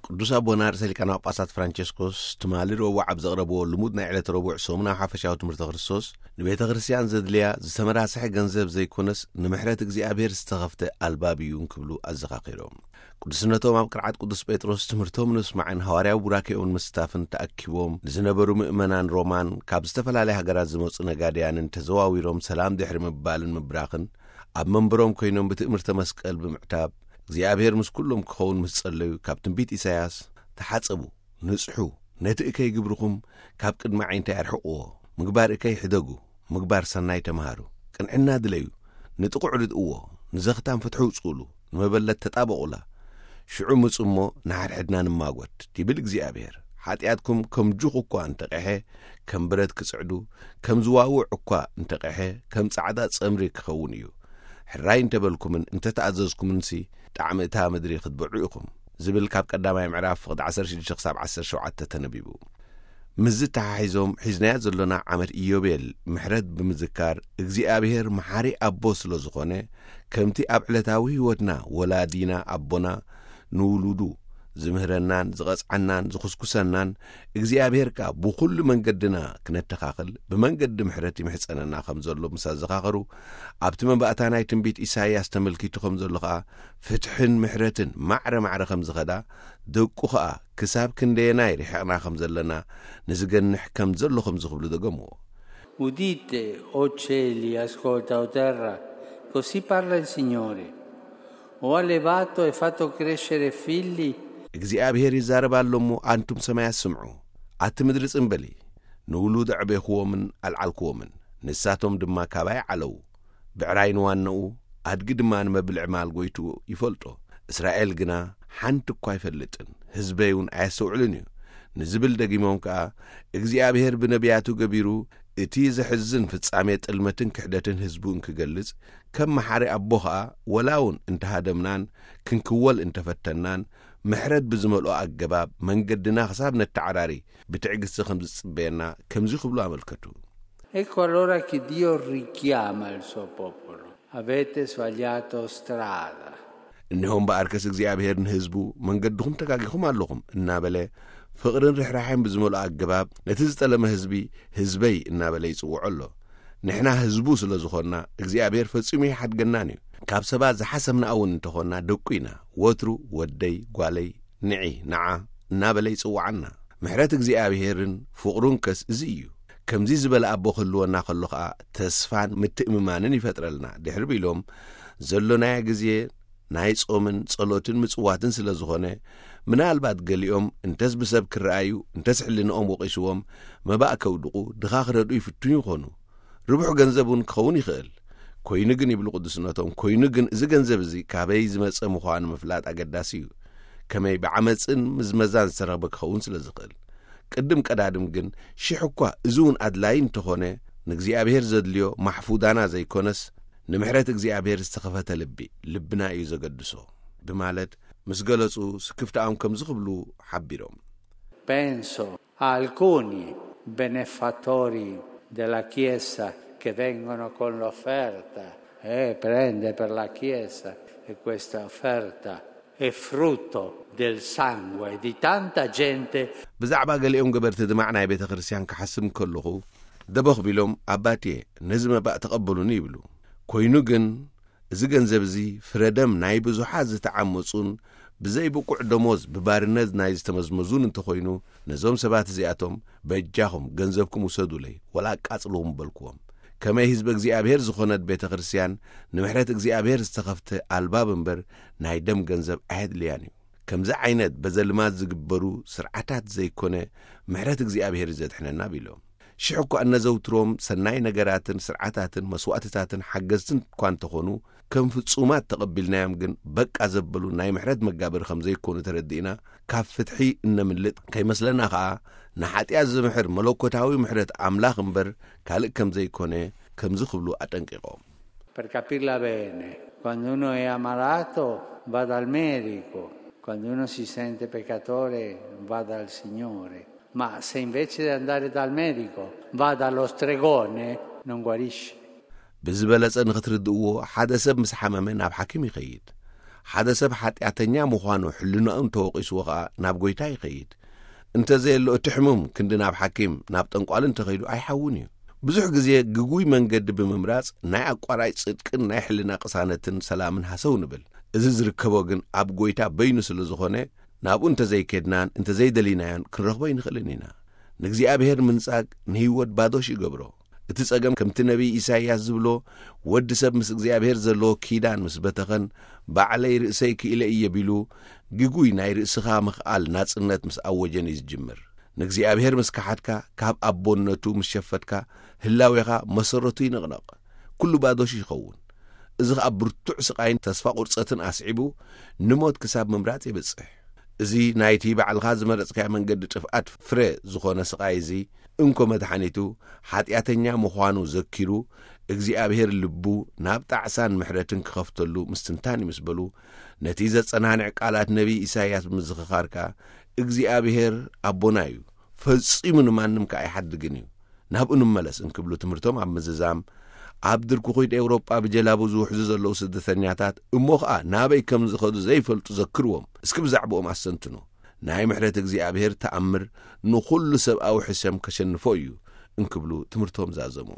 ቅዱስ ኣቦና ርእሰ ሊቃነ ጳጳሳት ፍራንቸስኮስ ትማሊ ረቡዕ ኣብ ዘቕረብዎ ልሙድ ናይ ዕለተ ረቡዕ ሰሙናዊ ሓፈሻዊ ትምህርተ ክርስቶስ፣ ንቤተ ክርስቲያን ዘድልያ ዝተመራስሐ ገንዘብ ዘይኮነስ፣ ንምሕረት እግዚኣብሔር ዝተኸፍተ ኣልባብ እዩ እንክብሉ ኣዘኻኺሮም። ቅዱስነቶም ኣብ ቅርዓት ቅዱስ ጴጥሮስ ትምህርቶም ንምስማዕን ሃዋርያዊ ቡራኬኦም ንምስታፍን ተኣኪቦም ንዝነበሩ ምእመናን ሮማን ካብ ዝተፈላለያ ሃገራት ዝመጹ ነጋድያንን ተዘዋዊሮም ሰላም ድሕሪ ምባልን ምብራኽን፣ ኣብ መንበሮም ኮይኖም ብትእምርተ መስቀል ብምዕታብ እግዚኣብሔር ምስ ኩሎም ክኸውን ምስ ጸለዩ፣ ካብ ትንቢት ኢሳያስ፣ "ተሓጸቡ፣ ንጽሑ፣ ነቲ እከይ ግብርኹም ካብ ቅድሚ ዓይንታይ ኣርሕቕዎ፣ ምግባር እከይ ሕደጉ፣ ምግባር ሰናይ ተምሃሩ፣ ቅንዕና ድለዩ፣ ንጥቑዕ ርድእዎ፣ ንዘኽታም ፍትሒ ውጽኡሉ፣ ንመበለት ተጣበቑላ፣ ሽዑ ምጹ እሞ ንሓድሕድና ንማጎት" ይብል እግዚኣብሔር። ሓጢኣትኩም ከም ጁኽ እኳ እንተቐሐ፣ ከም ብረት ክጽዕዱ፣ ከም ዝዋውዕ እኳ እንተቐሐ፣ ከም ጻዕዳ ጸምሪ ክኸውን እዩ። ሕራይ እንተበልኩምን እንተተኣዘዝኩምንሲ፣ ጣዕሚ እታ ምድሪ ክትበዑ ኢኹም ዝብል ካብ ቀዳማይ ምዕራፍ ፍቕዲ ዓሰርተ ሽዱሽተ ክሳብ ዓሰርተ ሸውዓተ ተነቢቡ። ምስዚ ተሓሒዞም ሒዝናዮ ዘሎና ዓመት ኢዮቤል ምሕረት ብምዝካር፣ እግዚኣብሔር መሓሪ ኣቦ ስለ ዝኾነ፣ ከምቲ ኣብ ዕለታዊ ህይወትና ወላዲና ኣቦና ንውሉዱ ዝምህረናን ዝቐጽዓናን ዝኹስኩሰናን፣ እግዚኣብሔር ከኣ ብኹሉ መንገድና ክነተኻኽል ብመንገዲ ምሕረት ይምሕጸነና ከም ዘሎ ምስ ኣዘኻኸሩ፣ ኣብቲ መባእታ ናይ ትንቢት ኢሳይያስ ተመልኪቱ ከም ዘሎ ከኣ፣ ፍትሕን ምሕረትን ማዕረ ማዕረ ከም ዝኸዳ፣ ደቁ ከኣ ክሳብ ክንደየናይ ርሒቕና ከም ዘለና ንዝገንሕ ከም ዘሎ ከምዚ ክብሉ ደገምዎ። "Udite, o cieli, ascolta, o terra, così parla il Signore. Ho allevato e fatto crescere figli." እግዚኣብሔር ይዛረብ ኣሎ እሞ፣ ኣንቱም ሰማያት ስምዑ፣ ኣቲ ምድሪ ጽምበሊ። ንውሉድ ኣዕቤኽዎምን ኣልዓልክዎምን፣ ንሳቶም ድማ ካባይ ዓለዉ። ብዕራይ ንዋናኡ፣ ኣድጊ ድማ ንመብልዒ ማል ጎይትኡ ይፈልጦ። እስራኤል ግና ሓንቲ እኳ ኣይፈልጥን፣ ህዝበይ እውን ኣየስተውዕልን እዩ ንዝብል ደጊሞም ከኣ፣ እግዚኣብሔር ብነቢያቱ ገቢሩ እቲ ዘሕዝን ፍጻሜ ጥልመትን ክሕደትን ህዝቡ እንክገልጽ፣ ከም መሓሪ ኣቦ ከኣ፣ ወላ እውን እንተሃደምናን ክንክወል እንተፈተንናን፣ ምሕረት ብዝመልኦ ኣገባብ መንገድና ክሳብ ነተዓራሪ ብትዕግስቲ ከም ዝጽበየና ከምዚ ክብሉ ኣመልከቱ። Ecco allora che Dio richiama il suo popolo. "Avete sbagliato strada." እነሆ እምበኣርከስ እግዚኣብሔር ንህዝቡ፣ "መንገድኹም ተጋጊኹም ኣለኹም" እናበለ፣ ፍቕርን ርሕራሕን ብዝመልኦ ኣገባብ ነቲ ዝጠለመ ህዝቢ፣ "ህዝበይ" እናበለ ይጽውዖ ኣሎ። ንሕና ህዝቡ ስለ ዝኾንና፣ እግዚኣብሔር ፈጺሙ ይሓድገናን እዩ። ካብ ሰባት ዝሓሰምና እውን እንተኾንና፣ ደቁ ኢና። ወትሩ "ወደይ፣ ጓለይ፣ ንዒ፣ ንዓ" እናበለ ይጽውዓና። ምሕረት እግዚኣብሔርን ፍቕሩን ከስ እዚ እዩ። ከምዚ ዝበለ ኣቦ ክህልወና ከሎ ኸኣ፣ ተስፋን ምትእምማንን ይፈጥረልና። ድሕሪ ቢሎም፣ ዘሎናዮ ግዜ ናይ ጾምን ጸሎትን ምጽዋትን ስለ ዝኾነ፣ ምናልባት ገሊኦም እንተስ ብሰብ ክረኣዩ፣ እንተስ ሕልንኦም ወቒስዎም፣ መባእ ከውድቑ፣ ድኻ ክረድኡ ይፍትኑ ይኾኑ። ርቡሕ ገንዘብ እውን ክኸውን ይኽእል። ኮይኑ ግን፣ ይብሉ ቅዱስነቶም፣ ኮይኑ ግን፣ እዚ ገንዘብ እዚ ካበይ ዝመጸ ምዃኑ ምፍላጥ ኣገዳሲ እዩ። ከመይ ብዓመጽን ምዝመዛን ዝተረኽበ ክኸውን ስለ ዝኽእል። ቅድም ቀዳድም ግን፣ ሽሕ እኳ እዚ እውን ኣድላዪ እንተኾነ፣ ንእግዚኣብሔር ዘድልዮ ማሕፉዳና ዘይኮነስ፣ ንምሕረት እግዚኣብሔር ዝተኸፈተ ልቢ፣ ልብና እዩ ዘገድሶ ብማለት ምስ ገለጹ፣ ስክፍታኦም ከምዚ ክብሉ ሓቢሮም። Penso a alcuni benefattori della Chiesa che vengono con l'offerta e prende per la Chiesa, e questa offerta è frutto del sangue di tanta gente. ብዛዕባ ገሊኦም ገበርቲ ድማዕ ናይ ቤተ ክርስቲያን ክሓስብ ከለኹ፣ ደበኽ ቢሎም፣ "ኣባትየ፣ ነዚ መባእ ተቐበሉኒ" ይብሉ። ኮይኑ ግን፣ እዚ ገንዘብ እዚ ፍረ ደም ናይ ብዙሓት ዝተዓመጹን ብዘይ ብቁዕ ደሞዝ ብባርነት ናይ ዝተመዝመዙን እንተኾይኑ፣ ነዞም ሰባት እዚኣቶም፣ "በጃኹም ገንዘብኩም ውሰዱለይ፣ ወላ ኣቃጽልዎም" በልክዎም። ከመይ ህዝቢ እግዚኣብሔር ዝኾነት ቤተ ክርስቲያን ንምሕረት እግዚኣብሔር ዝተኸፍተ ኣልባብ እምበር፣ ናይ ደም ገንዘብ ኣየድልያን እዩ። ከምዚ ዓይነት በዘልማድ ዝግበሩ ስርዓታት ዘይኮነ፣ ምሕረት እግዚኣብሔር እዩ ዘድሕነና ቢሎም። ሽሕ እኳ እነዘውትሮም ሰናይ ነገራትን ስርዓታትን መስዋእትታትን ሓገዝትን እኳ እንተኾኑ፣ ከም ፍጹማት ተቐቢልናዮም ግን በቃ ዘበሉ ናይ ምሕረት መጋበሪ ከም ዘይኮኑ ተረዲእና፣ ካብ ፍትሒ እነምልጥ ከይመስለና ኸኣ፣ ንሓጢኣት ዝምሕር መለኮታዊ ምሕረት ኣምላኽ እምበር ካልእ ከም ዘይኮነ ከምዚ ክብሉ ኣጠንቂቖም። Per capirla bene, quando uno è ammalato va dal medico, quando uno si sente peccatore va dal Signore, ma se invece di andare dal medico va dallo stregone, non guarisce. ብዝበለጸ ንኽትርድእዎ፣ ሓደ ሰብ ምስ ሓመመ ናብ ሓኪም ይኸይድ። ሓደ ሰብ ሓጢኣተኛ ምዃኑ ሕልናኡ እንተወቒስዎ ኸኣ ናብ ጐይታ ይኸይድ። እንተዘየሎ እቲ ሕሙም ክንዲ ናብ ሓኪም፣ ናብ ጠንቋል እንተኸይዱ ኣይሓውን እዩ። ብዙሕ ግዜ ግጉይ መንገዲ ብምምራጽ ናይ ኣቋራጭ ጽድቅን ናይ ሕልና ቅሳነትን ሰላምን ሃሰው ንብል። እዚ ዝርከቦ ግን ኣብ ጐይታ በይኑ ስለ ዝኾነ፣ ናብኡ እንተዘይኬድናን እንተዘይደሊናዮን ክንረኽቦ ኣይንኽእልን ኢና። ንእግዚኣብሔር ምንጻግ ንህይወት ባዶሽ ይገብሮ። እቲ ጸገም ከምቲ ነቢይ ኢሳይያስ ዝብሎ፣ ወዲ ሰብ ምስ እግዚኣብሔር ዘለዎ ኪዳን ምስ በተኸን፣ ባዕለይ ርእሰይ ክኢለ እየ ቢሉ፣ ግጉይ ናይ ርእስኻ ምኽኣል ናጽነት ምስ ኣወጀን እዩ ዝጅምር። ንእግዚኣብሔር ምስ ከሓድካ፣ ካብ ኣቦነቱ ምስ ሸፈትካ፣ ህላዌኻ መሰረቱ ይንቕነቕ። ኩሉ ባዶሽ ይኸውን። እዚ ኸኣ ብርቱዕ ስቓይን ተስፋ ቁርጸትን ኣስዒቡ፣ ንሞት ክሳብ ምምራጽ የብጽሕ። እዚ ናይቲ ባዕልኻ ዝመረጽካዮ መንገዲ ጥፍኣት ፍረ ዝኾነ ስቓይ እዚ፣ እንኮ መድሓኒቱ፣ ሓጢኣተኛ ምዃኑ ዘኪሩ፣ እግዚኣብሔር ልቡ ናብ ጣዕሳን ምሕረትን ክኸፍተሉ ምስትንታን እዩ ምስ በሉ፣ ነቲ ዘጸናንዕ ቃላት ነቢይ ኢሳይያስ ብምዝኽኻር ከኣ፣ እግዚኣብሔር ኣቦና እዩ፣ ፈጺሙ ንማንም ከኣ ኣይሓድግን እዩ፣ ናብኡ ንመለስ እንክብሉ ትምህርቶም ኣብ ምዝዛም፣ ኣብ ድርኩኺት ኤውሮጳ ብጀላቡ ዝውሕዙ ዘለዉ ስደተኛታት እሞ ኸኣ ናበይ ከም ዝኸዱ ዘይፈልጡ ዘክርዎም። እስኪ ብዛዕባኦም ኣስተንትኑ። ናይ ምሕረት እግዚኣብሔር ተኣምር ንኹሉ ሰብኣዊ ሕሰም ከሸንፎ እዩ እንክብሉ ትምህርቶም ዛዘሙ።